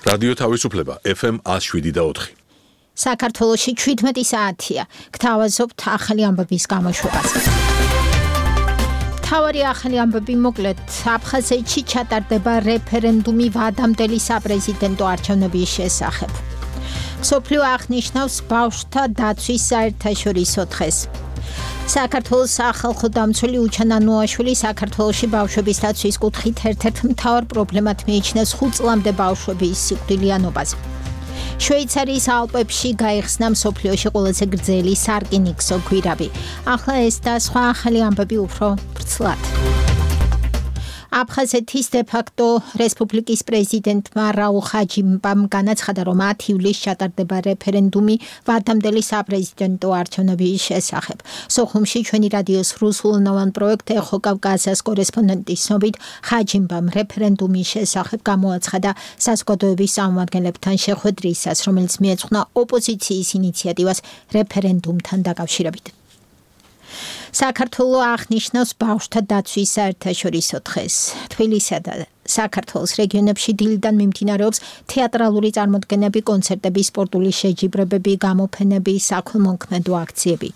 რადიო თავისუფლება FM 107.4. საქართველოში 17 საათია. გთავაზობთ ახალი ამბების გამოშვებას. მთავარი ახალი ამბები მოკლედ. აფხაზეთში ჩატარდება რეფერენდუმი ვადამდელი საპრეზიდენტო არჩევნების შესახებ. მსოფლიო აღნიშნავს ბავშვთა დაცვის საერთაშორისო დღეს. საქართველოს სახალხო დამცველი უჩან ანუაშვილი საქართველოში ბავშვების დაცვის კუთხით ერთ-ერთ მთავარ პრობლემად მიიჩნევს 5 წლამდე ბავშვების სიკვდილიანობას. შვეიცარიის ალპებში გაიხსნა მსოფლიოში ყველაზე გრძელი სარკინიგზო გვირაბი. ახლა ეს და სხვა ახალი ამბები უფრო ვრცლად. აფხაზეთის დე-ფაქტო რესპუბლიკის პრეზიდენტმა რაულ ხაჯიმბამ განაცხადა, რომ 10 ივლისს ჩატარდება რეფერენდუმი ვადამდელი საპრეზიდენტო არჩევნების შესახებ. სოხუმში ჩვენი რადიოს რუსულენოვან პროექტ ეხო კავკასიას კორესპონდენტის ცნობით, ხაჯიმბამ რეფერენდუმის შესახებ გამოაცხადა საზოგადოების წარმომადგენლებთან შეხვედრისას, რომელიც მიეძღვნა ოპოზიციის ინიციატივას რეფერენდუმთან დაკავშირებით. საქართველო აღნიშნავს ბავშვთა დაცვის საერთაშორისო დღეს. თბილისსა და საქართველოს რეგიონებში დილიდან მიმდინარეობს თეატრალური წარმოდგენები, კონცერტები, სპორტული შეჯიბრებები, გამოფენები, საქველმოქმედო აქციები.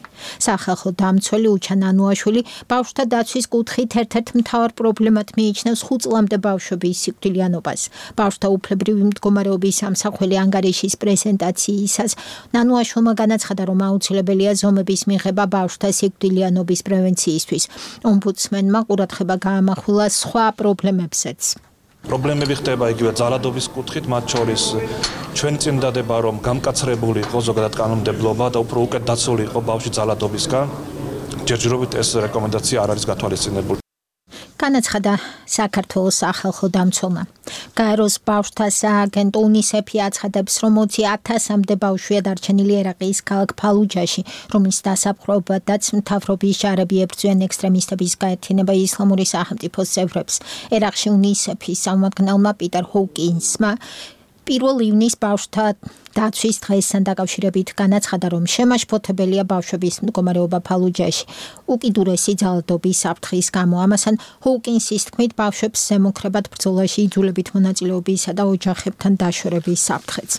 სახალხო დამცველი უჩან ანუაშვილი ბავშვთა დაცვის კუთხით ერთ-ერთ მთავარ პრობლემად მიიჩნევს 5 წლამდე ბავშვების სიკვდილიანობას. ბავშვთა უფლებრივი მდგომარეობის სამსახველი ანგარიშის პრეზენტაციისას ანუაშვილმა განაცხადა, რომ აუცილებელია ზომების მიღება ბავშვთა სიკვდილიანობის პრევენციისთვის. ომბუდსმენმა ყურადღება გაამახვილა სხვა პრობლემებსაც. პრობლემები ხდება იგივე ძალადობის კუთხით, მათ შორის ჩვენი წინდადება, რომ გამკაცრებული იყო ზოგადად კანონმდებლობა და უფრო უკეთ დაცული იყო ბავშვი ძალადობისგან. ჯერჯერობით ეს რეკომენდაცია არ არის გათვალისწინებული. განაცხადა საქართველოს სახალხო დამცველმა. გაეროს ბავშვთა სააგენტო UNICEF-ი აცხადებს, რომ 20,000-მდე ბავშვია დარჩენილი ერაყის ქალაქ ფალუჯაში, რომლის დასაპყრობადაც მთავრობის ჯარები ებრძვიან ექსტრემისტების გაერთიანება ისლამური სახელმწიფოს წევრებს. ერაყში UNICEF-ის წარმომადგენელმა პიტერ ჰოუკინსმა 1 ივნისს ბავშვთა დაცვის დღესთან დაკავშირებით განაცხადა, რომ შემაშფოთებელია ბავშვების მდგომარეობა ფალუჯაში უკიდურესი ძალადობის საფრთხის გამო. ამასთან ჰოუკინსის თქმით, ბავშვებს ზემოქმედად ბრძოლაში იძულებით მონაწილეობისა და ოჯახებთან დაშორების საფრთხეც.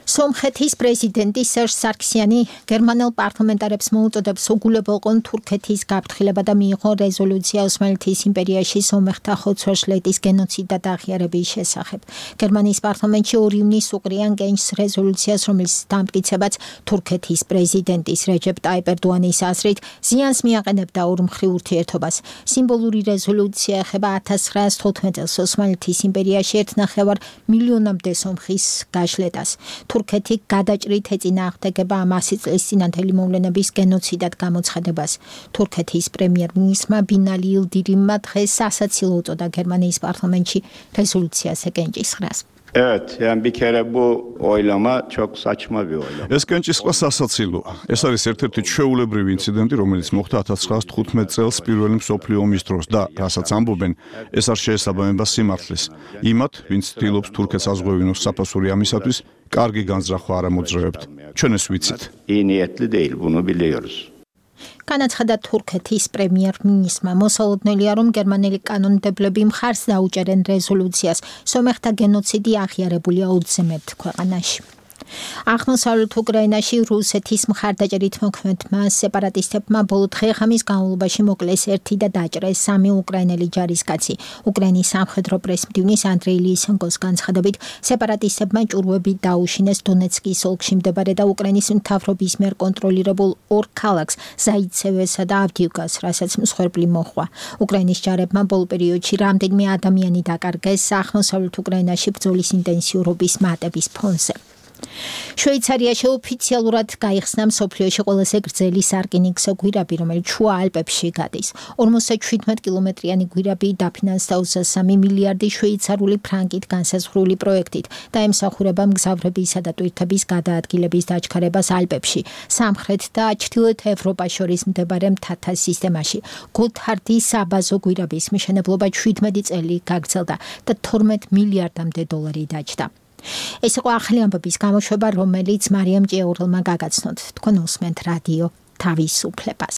სომხეთის პრეზიდენტი სერჟ სარქსიანი გერმანელ პარლამენტარებს მოუწოდებს უგულებელყონ თურქეთის გაფრთხილება და მიიღო რეზოლუცია ოსმალეთის იმპერიაში სომეხთა ხოცვა-ჟლეტის გენოციდ და აღიარების შესახებ. გერმანიის პარლამენტში 2 ივნისს უყრიან გენჯს რეზოლუციას, რომელიც დამტკიცებაც თურქეთის პრეზიდენტის რეჯეპ ტაიპ ერდოანის აზრით ზიანს მიაყენებდა ორმხრივ ურთიერთობას. სიმბოლური რეზოლუცია ეხება 1915 წელს ოსმალეთის იმპერიაში 1,5 მილიონამდე სომხის გაშლეტას. თურქეთი გადაჭრით ეწინააღმდეგება ამ 100 წლის წინანდელი მოვლენების გენოციდად გამოცხადებას. თურქეთის პრემიერ-მინისტრმა ბინალი ილდირიმმა დღეს სასაცილო უწოდა გერმანიის პარლამენტში რეზოლუციას ეკენჭისყრას. Evet, yani bir kere bu oylama çok saçma bir oylama. ეს კენჭისყრა სასაცილოა. ეს არის ერთ-ერთი ჩვეულებრივი ინციდენტი, რომელიც მოხდა 1915 წელს პირველი მსოფლიო ომის დროს და, რასაც ამბობენ, ეს არ შეესაბამება სიმართლეს. იმათ, ვინც ცდილობს თურქეთს ազღვევინოს საფასური ამისათვის, კარგი განზრახვა არ ამოძრავებთ. ჩვენ ეს ვიცით. İyi niyetli değil, bunu biliyoruz. განაცხადა თურქეთის პრემიერ-მინისტრმა. მოსალოდნელია, რომ გერმანელი კანონმდებლები მხარს დაუჭერენ რეზოლუციას. სომეხთა გენოციდი აღიარებულია 20 ქვეყანაში. აღმოსავლეთ უკრაინაში რუსეთის მხარდაჭერით მოქმედმა სეპარატისტებმა ბოლო დღე-ღამის განმავლობაში მოკლეს 1 და დაჭრეს 3 უკრაინელი ჯარისკაცი. უკრაინის სამხედრო პრესმდივნის ანდრეი ლისენკოს განცხადებით, სეპარატისტებმა ჭურვები დაუშინეს დონეცკის ოლქში მდებარე და უკრაინის მთავრობის მიერ კონტროლირებულ 2 ქალაქს, ზაიცევესა და ავდიუკას, რასაც მსხვერპლი მოჰყვა. უკრაინის ჯარებმა ბოლო პერიოდში რამდენიმე ადამიანი დაკარგეს აღმოსავლეთ უკრაინაში ბრძოლის ინტენსიურობის მატების ფონზე. შვეიცარიაში ოფიციალურად გაიხსნა მსოფლიოში ყველაზე გრძელი სარკინიგზო გვირაბი, რომელიც შუა ალპებში გადის. 57 კილომეტრიანი გვირაბი დაფინანსდა 23 მილიარდი შვეიცარული ფრანკით განსაზღვრული პროექტით და ემსახურება მგზავრებისა და ტვირთების გადაადგილების დაჩქარებას ალპებში, სამხრეთ და ჩრდილოეთ ევროპას შორის მდებარე მთათა სისტემაში. გოთარდის საბაზო გვირაბის მშენებლობა 17 წელი გაგრძელდა და 12 მილიარდამდე დოლარი დაჯდა. ეს იყო ახალი ამბების გამოშვება, რომელიც მარიამ ჭიაურელმა გაგაცნოთ. თქვენ უსმენთ რადიო თავისუფლებას.